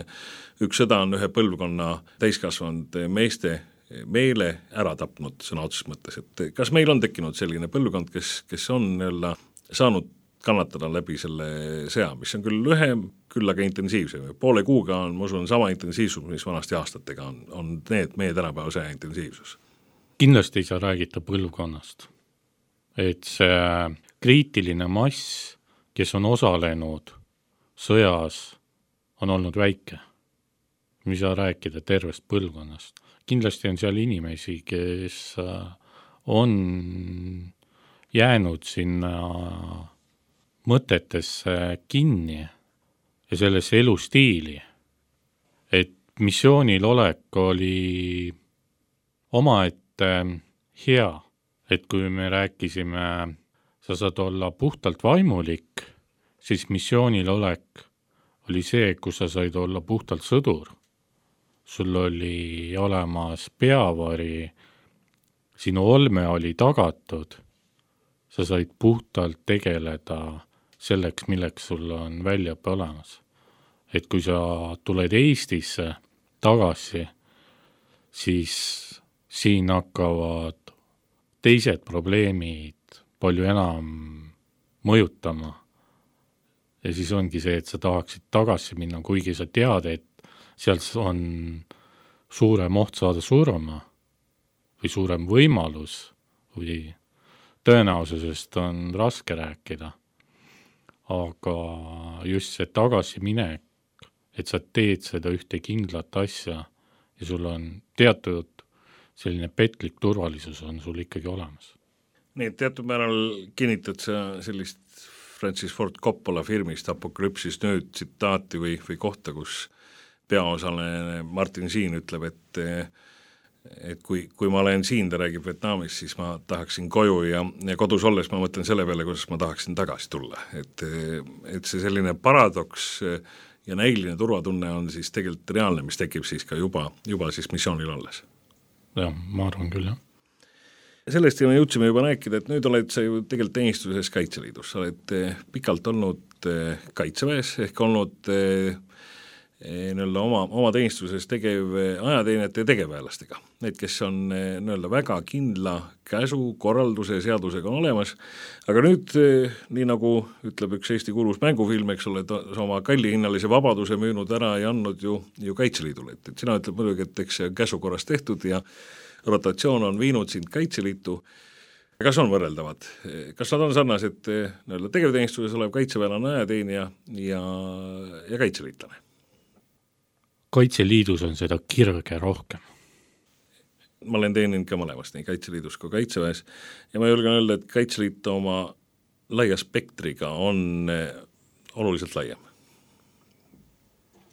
üks sõda on ühe põlvkonna täiskasvanud meeste meele ära tapnud sõna otseses mõttes, et kas meil on tekkinud selline põlvkond, kes, kes on nii-öelda saanud kannatada läbi selle sõja, mis on küll lühem, küll aga intensiivsem. Poole kuuga on, ma usun, sama intensiivsus, mis vanasti aastatega on, on need meie tänapäeva sõja intensiivsus.
Kindlasti ei saa räägita põlvkonnast. Et see kriitiline mass, kes on osalenud sõjas, on olnud väike. Mis saa rääkida tervest põlvkonnast. Kindlasti on seal inimesi, kes on jäänud sinna mõtetesse kinni ja sellesse elustiili, et missioonil olek oli omaette hea, et kui me rääkisime, sa saad olla puhtalt vaimulik, siis missioonil olek oli see, kus sa said olla puhtalt sõdur. Sul oli olemas peavari, sinu olme oli tagatud, sa said puhtalt tegeleda selleks, milleks sul on väljaõppe olemas. Et kui sa tuled Eestisse tagasi, siis siin hakkavad teised probleemid palju enam mõjutama. Ja siis ongi see, et sa tahaksid tagasi minna, kuigi sa tead, et seal on suurem oht saada surma või suurem võimalus või tõenäosusest on raske rääkida. Aga just see tagasiminek, et sa teed seda ühte kindlat asja ja sul on teatud selline petlik turvalisus on sul ikkagi olemas.
Nii, et teatud määral kinnitad sa sellist Francis Ford Coppola filmist Apokalüpsis nüüd tsitaati või, või kohta, kus peaosaline Martin Sheen ütleb, et, et kui, kui ma olen siin, ta räägib Vietnamis, siis ma tahaksin koju ja, ja kodus olles ma mõtlen selle peale, kuidas ma tahaksin tagasi tulla. Et, et see selline paradoks ja näiline turvatunne on siis tegelikult reaalne, mis tekib siis ka juba, juba siis missioonil olles.
Jah, ma arvan küll, jah.
Sellest me jõudsime juba rääkida, et nüüd oled sa ju tegelikult teenistuses Kaitseliidus, sa oled pikalt olnud Kaitseväes ehk olnud nii-öelda oma, oma teenistuses tegev ajateenijate ja tegevväelastega. Need, kes on nii-öelda väga kindla käsu, korralduse ja seadusega on olemas, aga nüüd, nii nagu ütleb üks Eesti kuulus mängufilm, eks ole, oma kallihinnalise vabaduse müünud ära ja andnud ju, ju Kaitseliidule, et, et sina ütleb muidugi, et eks see käsu korras tehtud ja rotatsioon on viinud sind Kaitseliitu. Kas on võrreldavad? Kas nad on sarnased nii-öelda tegevteenistuses olev kaitseväelane ajateenija ja, ja kaitseliitlane?
Kaitseliidus on seda kirge rohkem.
Ma olen teeninud ka mõlemast, nii Kaitseliidus kui Kaitseväes ja ma julgen öelda, et Kaitseliit oma laia spektriga on oluliselt laiem.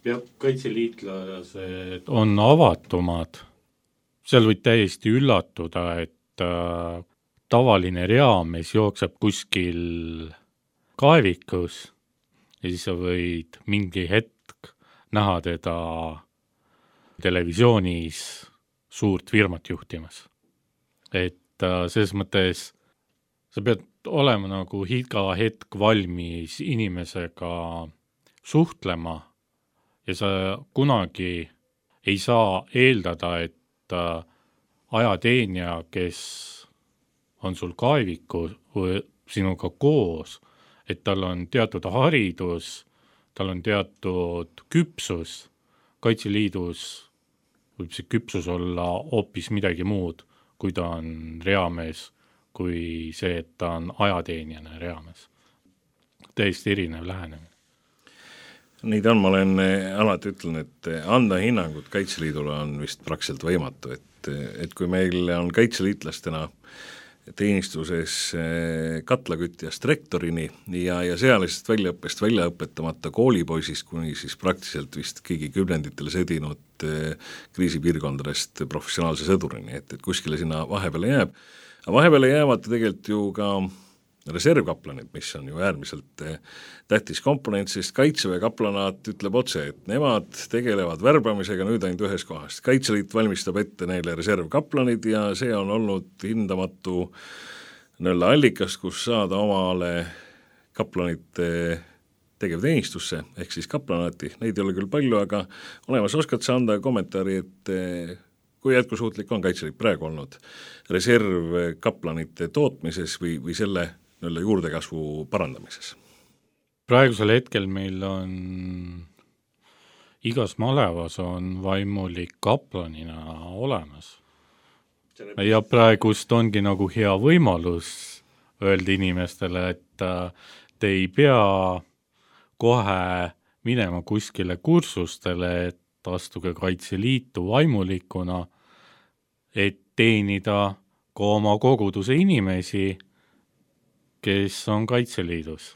Ja kaitseliitlased on avatumad. Seal võid täiesti üllatuda, et äh, tavaline reamees jookseb kuskil kaevikus ja siis sa võid mingi hetk näha teda televisioonis suurt firmat juhtimas. Et äh, selles mõttes sa pead olema nagu iga hetk valmis inimesega suhtlema ja sa kunagi ei saa eeldada, et ajateenija, kes on sul kaeviku või sinuga koos, et tal on teatud haridus, tal on teatud küpsus. Kaitseliidus võib see küpsus olla hoopis midagi muud, kui ta on reamees, kui see, et ta on ajateenijana reamees. Täiesti erinev lähenemine.
Nii ta on, ma olen alati ütlen, et anda hinnangut Kaitseliidule on vist praktiliselt võimatu, et, et kui meil on kaitseliitlastena teenistuses katlakütjast rektorini ja, ja sealisest väljaõppest väljaõpetamata koolipoisist kuni siis praktiliselt vist kõigi kümnenditel sõdinud kriisipiirkondadest professionaalse sõdurini, et, et kuskile sinna vahepeale jääb. Aga vahepeale jäävad tegelikult ju ka reservkaplanid, mis on ju äärmiselt tähtis komponent, sest Kaitseväe kaplanaat ütleb otse, et nemad tegelevad värbamisega nüüd ainult ühes kohast. Kaitseliit valmistab ette neile reservkaplanid ja see on olnud hindamatu nõlla allikas, kus saada omale kaplanite tegevteenistusse, ehk siis kaplanaati. Neid ei ole küll palju, aga olemas oskad sa anda kommentaari, et kui jätkusuutlik on Kaitseliit praegu olnud reservkaplanite tootmises või, või selle juurdekasvu parandamises?
praegusel hetkel meil on igas malevas on vaimulik kaplanina olemas. Ja praegust ongi nagu hea võimalus öelda inimestele, et te ei pea kohe minema kuskile kursustele, et astuge Kaitseliitu vaimulikuna, et teenida ka oma koguduse inimesi, kes on Kaitseliidus.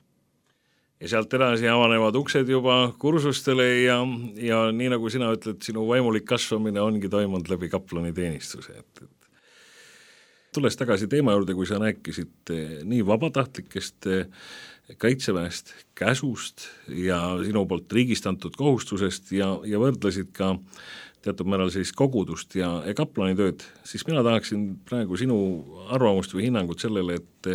Ja sealt edasi avanevad uksed juba kursustele ja, ja nii nagu sina ütled, sinu vaimulik kasvamine ongi toimunud läbi kaplani teenistuse. Et, et tulles tagasi teema juurde, kui sa rääkisid nii vabatahtlikest kaitseväest, käsust ja sinu poolt riigist antud kohustusest ja, ja võrdlesid ka teatud määral siis kogudust ja, ja kaplani tööd, siis mina tahaksin praegu sinu arvamust või hinnangut sellele, et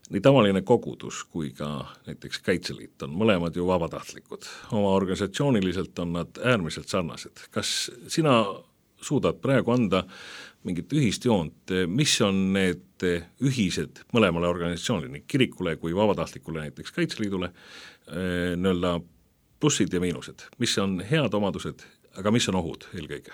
nii tavaline kogudus kui ka näiteks Kaitseliit on mõlemad ju vabatahtlikud. Oma organisatsiooniliselt on nad äärmiselt sarnased. Kas sina suudad praegu anda mingit ühist joont, mis on need ühised mõlemale organisatsioonile, nii kirikule kui vabatahtlikule näiteks Kaitseliidule, nõelda plussid ja miinused, mis on head omadused, aga mis on ohud eelkõige?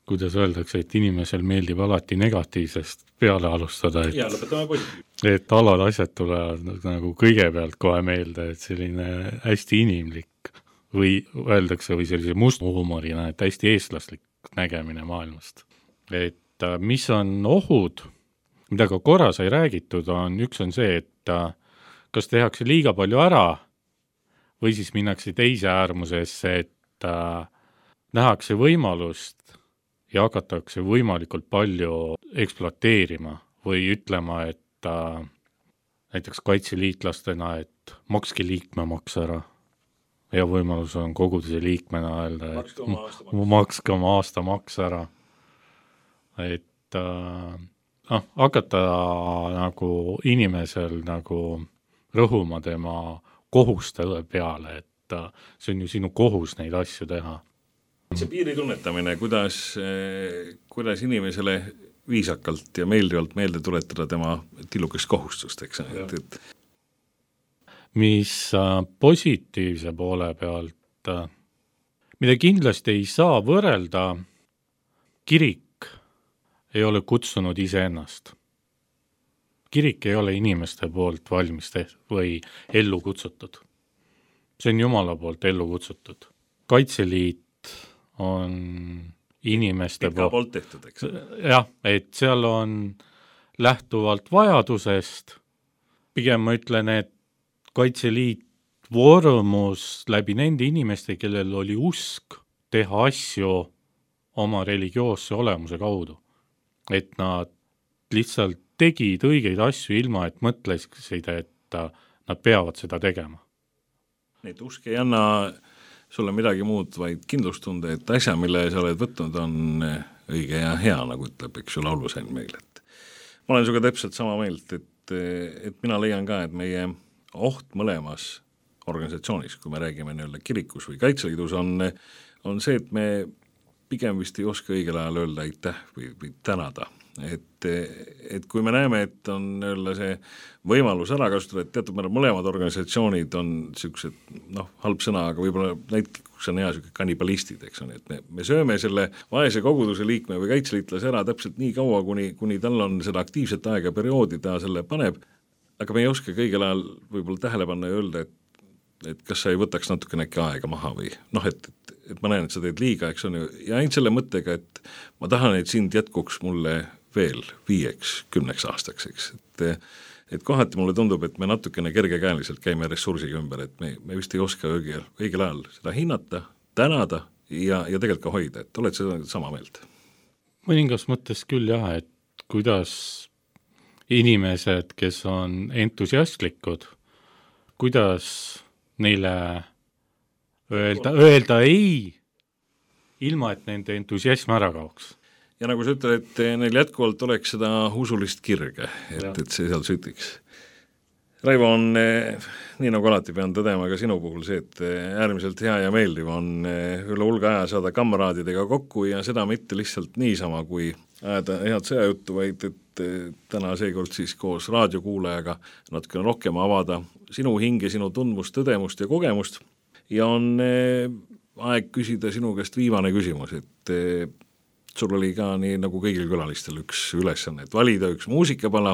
Kuidas öeldakse, et inimesel meeldib alati negatiivsest peale alustada, et,
ja, lõpetame positiivselt.
Et alad asjad tulevad nagu kõigepealt kohe meelde, et selline hästi inimlik või öeldakse või sellise musthuumorina, et hästi eestlaslik nägemine maailmast. Et mis on ohud, mida ka korra sai räägitud, on üks on see, et kas tehakse liiga palju ära või siis minnakse teise äärmusesse, et nähakse võimalust ja hakatakse võimalikult palju ekspluateerima või ütlema, et äh, näiteks kaitseliitlastena, et makske liikmemaks ära. Ja võimalus on koguduse liikmena öelda, et makske oma aastamaks ära. Et äh, noh, hakata nagu inimesel nagu rõhuma tema kohuste peale, et äh, see on ju sinu kohus neid asju teha.
See piiri tunnetamine, kuidas, kuidas inimesele viisakalt ja meeldivalt meelde tuletada tema tillukest kohustust, eks. Et, et...
Mis positiivse poole pealt, mida kindlasti ei saa võrrelda, kirik ei ole kutsunud iseennast. Kirik ei ole inimeste poolt valmis teht- või ellu kutsutud. See on Jumala poolt ellu kutsutud. Kaitseliit on inimeste
poolt, poolt tehtud, eks?
Jah, et seal on lähtuvalt vajadusest, pigem ma ütlen, et Kaitseliit vormus läbi nende inimeste, kellel oli usk teha asju oma religioosse olemuse kaudu. Et nad lihtsalt tegid õigeid asju ilma, et mõtlesid, et nad peavad seda tegema.
Need usk ei anna sulle midagi muud, vaid kindlustunde, et asja, mille sa oled võtnud, on õige ja hea, nagu ütleb, eks ju, laulusain meil. Et ma olen suga täpselt sama meelt, et, et mina leian ka, et meie oht mõlemas organisatsioonis, kui me räägime nii-öelda kirikus või Kaitseliidus, on, on see, et me pigem vist ei oska õigel ajal öelda aitäh või, või tänada. Et, et kui me näeme, et on nii-öelda see võimalus ära kasutada, et teatud määral mõlemad organisatsioonid on niisugused, noh, halb sõna, aga võib-olla näitlikus on hea niisugune kannibalistid, eks on, et me, me sööme selle vaese koguduse liikme või kaitseliitlase ära täpselt nii kaua, kuni, kuni tal on seda aktiivset aega perioodi, ta selle paneb, aga me ei oska kõigel ajal võib-olla tähele panna ja öelda, et et kas sa ei võtaks natukene äkki aega maha või noh, et, et, et ma näen, et sa teed liiga, eks on ju, ja ainult selle mõttega, et ma tahan, et sind jätkuks mulle veel viieks, kümneks aastaks, eks, et, et kohati mulle tundub, et me natukene kergekäeliselt käime ressursiga ümber, et me, me vist ei oska õigel, õigel ajal seda hinnata, tänada ja, ja tegelikult ka hoida, et oled seda sama meelt?
Mõningas mõttes küll jah, et kuidas inimesed, kes on entusiastlikud, kuidas neile öelda, öelda ei, ilma et nende entusiasm ära kaoks.
Ja nagu sa ütled, et neil jätkuvalt oleks seda usulist kirge, et, et see seal sütiks. Raivo, on nii nagu alati pean tõdema ka sinu puhul see, et äärmiselt hea ja meeldiv on üle hulga aja saada kamraadidega kokku ja seda mitte lihtsalt niisama, kui ajada head sõjajuttu, vaid et täna seekord siis koos raadiokuulajaga natukene rohkem avada sinu hinge, sinu tundmust, tõdemust ja kogemust ja on aeg küsida sinu käest viimane küsimus, et sul oli ka nii nagu kõigil külalistel üks ülesanne, et valida üks muusikapala,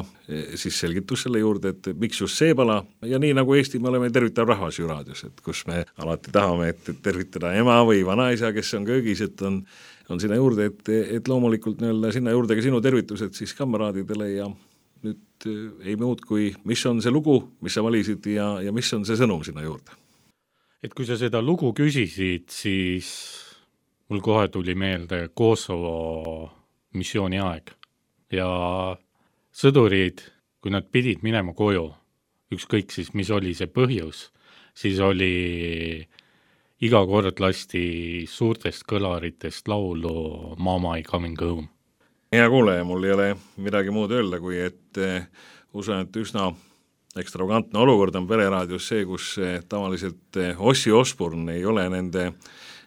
siis selgitus selle juurde, et miks just see pala ja nii nagu Eesti me oleme tervitav rahvas ju raadios, et kus me alati tahame, et tervitada ema või vanaisa, kes on köögis, et on, on sinna juurde, et, et loomulikult nii-öelda sinna juurde ka sinu tervitused siis kameraadidele ja nüüd ei muud kui, mis on see lugu, mis sa valisid ja, ja mis on see sõnum sinna juurde?
Et kui sa seda lugu küsisid, siis mul kohe tuli meelde Kosovo missiooni aeg ja sõdurid, kui nad pidid minema koju, ükskõik siis, mis oli see põhjus, siis oli iga kord lasti suurtest kõlaritest laulu Mama I Coming Home.
Hea kuuleja, mul ei ole midagi muud öelda, kui et usun, et üsna ekstravagantne olukord on Pereraadios see, kus tavaliselt Ossi Osborne ei ole nende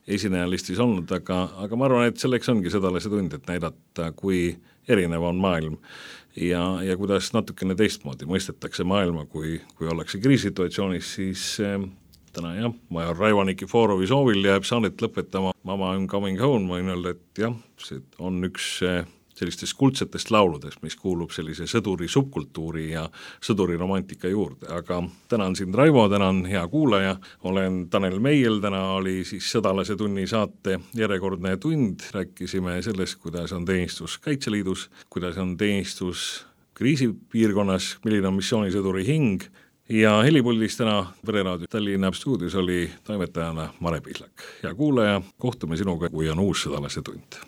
esinejalistis olnud, aga, aga ma arvan, et selleks ongi sõdalase tund, et näidata, kui erinev on maailm ja, ja kuidas natukene teistmoodi mõistetakse maailma, kui, kui ollakse kriisituatsioonis, siis äh, täna jah, major Raivo Nikiforovi soovil jääb saadet lõpetama Mama I'm Coming Home, ma võin öelda, et jah, see on üks äh, sellistest kuldsetest lauludest, mis kuulub sellise sõduri subkultuuri ja sõduri romantika juurde, aga tänan sind Raivo, tänan hea kuulaja, olen Tanel Meiel, täna oli siis Sõdalase tunni saate järjekordne tund, rääkisime sellest, kuidas on teenistus Kaitseliidus, kuidas on teenistus kriisipiirkonnas, milline on missioonisõduri hing ja helipuldis täna Pereraadio Tallinna stuudios oli toimetajana Mare Pihlak. Hea kuulaja, kohtume sinuga, kui on uus Sõdalase tund.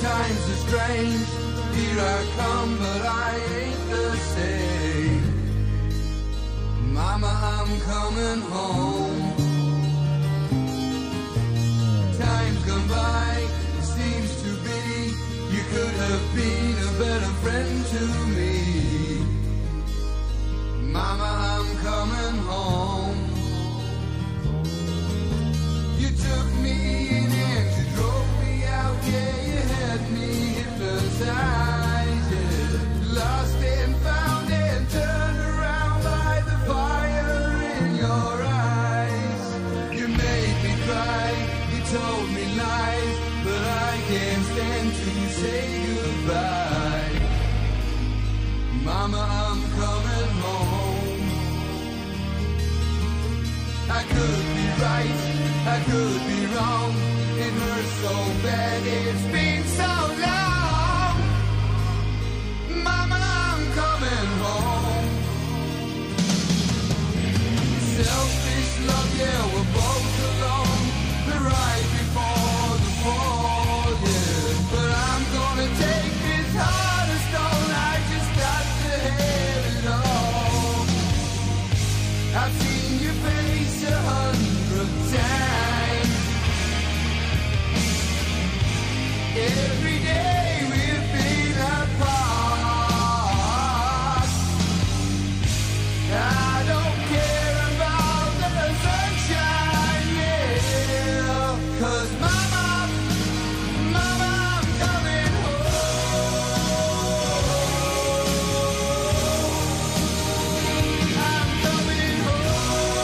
Times are strange, here I come, but I ain't the same. Mama, I'm coming home. Time's gone by, it seems to be, you could have been a better friend to me. Mama, I'm coming home. You took me in and you drove me out, yeah. Lost and found and turned around by the fire in your eyes. You made me cry, you told me lies, but I can't stand to say goodbye. Mama, I'm coming home. I could be right, I could be wrong. It hurts so bad, it's been so long. Selfish love, yeah, we're both alone. The right before the fall, yeah. But I'm gonna take this heart of stone. I just got to have it all. I've seen your face a hundred times. Every day we've been apart. I don't care. Cause mama, mama, I'm coming home. I'm coming home.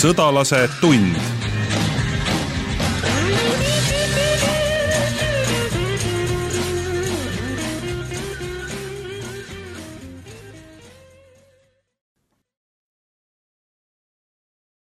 Sõdalase tund